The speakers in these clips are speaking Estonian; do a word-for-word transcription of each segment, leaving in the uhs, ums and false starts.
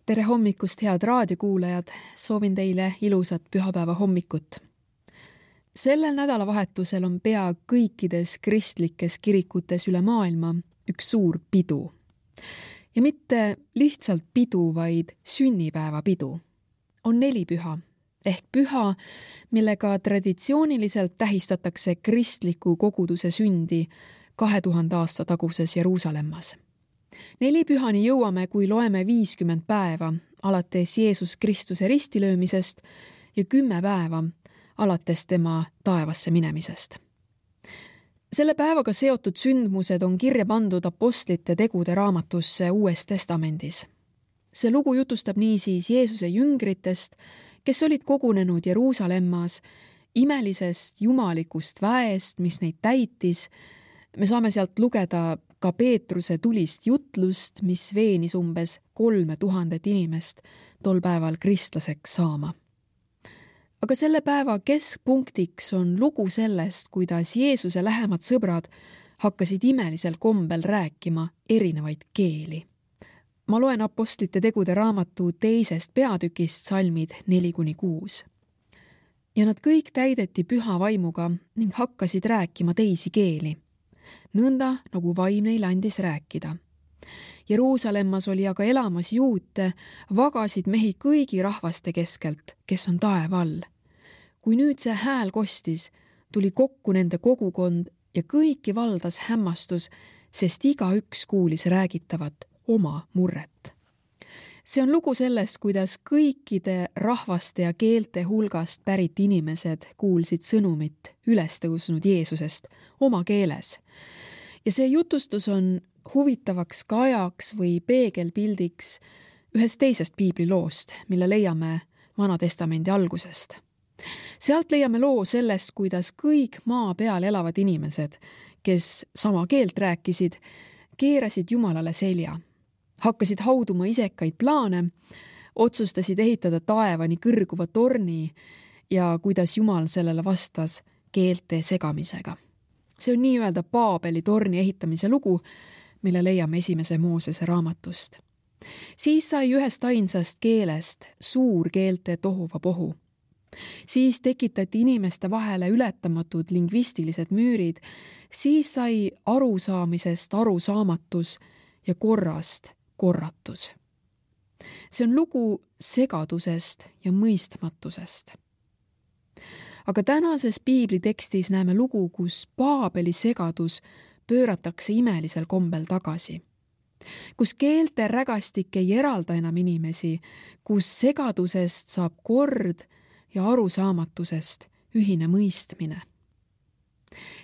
Tere hommikust, head raadiokuulajad! Soovin teile ilusat pühapäeva hommikut. Sellel nädalavahetusel on pea kõikides kristlikes kirikutes üle maailma üks suur pidu. Ja mitte lihtsalt pidu, vaid sünnipäeva pidu. On nelipüha, ehk püha, millega traditsiooniliselt tähistatakse kristliku koguduse sündi kahe tuhande aasta taguses Jeruusalemmas. Nelipühani jõuame, kui loeme viiskümmend päeva alates Jeesus Kristuse ristilöömisest ja kümme päeva alates tema taevasse minemisest. Selle päevaga seotud sündmused on kirja pandud apostlite tegude raamatusse Uues Testamendis. See lugu jutustab niisiis Jeesuse jüngritest, kes olid kogunenud Jeruusalemmas, imelisest jumalikust väest, mis neid täitis. Me saame sealt lugeda ka Peetruse tulist jutlust, mis veenis umbes kolme tuhandet inimest tol päeval kristlaseks saama. Aga selle päeva keskpunktiks on lugu sellest, kuidas Jeesuse lähemad sõbrad hakkasid imelisel kombel rääkima erinevaid keeli. Ma loen apostlite tegude raamatu teisest peatükist salmid neli kuni kuus. Ja nad kõik täideti püha vaimuga ning hakkasid rääkima teisi keeli. Nõnda, nagu vaim neile andis rääkida. Jeruusalemmas oli aga elamas juute, vagasid mehi kõigi rahvaste keskelt, kes on taeva all. Kui nüüd see hääl kostis, tuli kokku nende kogukond ja kõiki valdas hämmastus, sest igaüks kuulis räägitavat oma murret. See on lugu sellest, kuidas kõikide rahvaste ja keelte hulgast pärit inimesed kuulsid sõnumit ülestõusnud Jeesusest oma keeles. Ja see jutustus on huvitavaks kajaks või peegelpildiks ühest teisest piibliloost, mille leiame Vana Testamendi algusest. Sealt leiame loo sellest, kuidas kõik maa peal elavad inimesed, kes sama keelt rääkisid, keerasid Jumalale selja. Hakkasid hauduma isekaid plaane, otsustasid ehitada taevani kõrguva torni ja kuidas Jumal sellele vastas keelte segamisega. See on nii-öelda Paabeli torni ehitamise lugu, mille leiame esimese Moosese raamatust. Siis sai ühest ainsast keelest suur keelte tohuva pohu. Siis tekitati inimeste vahele ületamatud lingvistilised müürid, siis sai arusaamisest arusaamatus ja korrast korratus. See on lugu segadusest ja mõistmatusest. Aga tänases piiblitekstis näeme lugu, kus Paabeli segadus pööratakse imelisel kombel tagasi. Kus keelte rägastik ei eralda enam inimesi, kus segadusest saab kord ja arusaamatusest ühine mõistmine.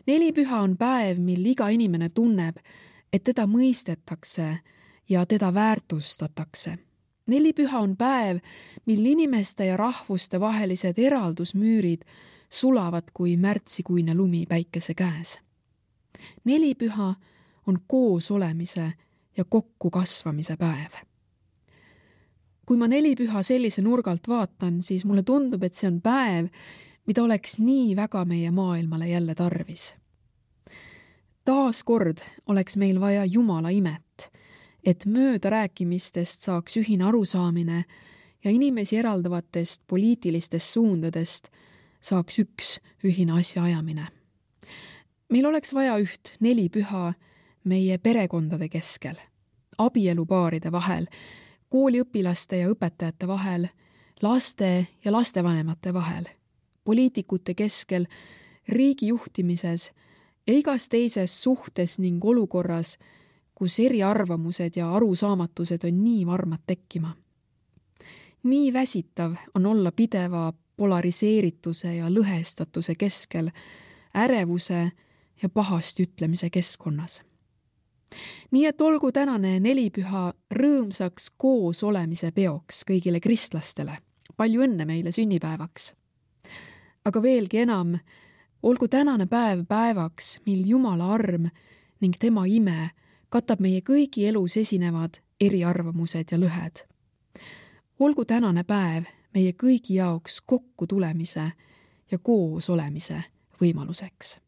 Nelipüha on päev, mil iga inimene tunneb, et teda mõistetakse ja teda väärtustatakse. Nelipüha on päev, mil inimeste ja rahvuste vahelised eraldusmüürid sulavad kui märtsikuine lumi päikese käes. Nelipüha on koos olemise ja kokku kasvamise päev. Kui ma nelipüha sellise nurgalt vaatan, siis mulle tundub, et see on päev, mida oleks nii väga meie maailmale jälle tarvis. Taas kord oleks meil vaja Jumala imet, et mööda rääkimistest saaks ühine arusaamine ja inimesi eraldavatest poliitilistest suundadest saaks üks ühine asjaajamine. Meil oleks vaja üht nelipüha meie perekondade keskel, abielupaaride vahel, kooliõpilaste ja õpetajate vahel, laste ja lastevanemate vahel, poliitikute keskel, riigi juhtimises ja igas teises suhtes ning olukorras, kus eriarvamused ja arusaamatused on nii varmad tekkima. Nii väsitav on olla pideva polariseerituse ja lõhestatuse keskel, ärevuse ja pahasti ütlemise keskkonnas. Nii et olgu tänane nelipüha rõõmsaks koos olemise peoks kõigile kristlastele. Palju õnne meile sünnipäevaks. Aga veelgi enam, olgu tänane päev päevaks, mil Jumala arm ning tema ime katab meie kõigi elus esinevad eriarvamused ja lõhed. Olgu tänane päev meie kõigi jaoks kokku tulemise ja koos olemise võimaluseks.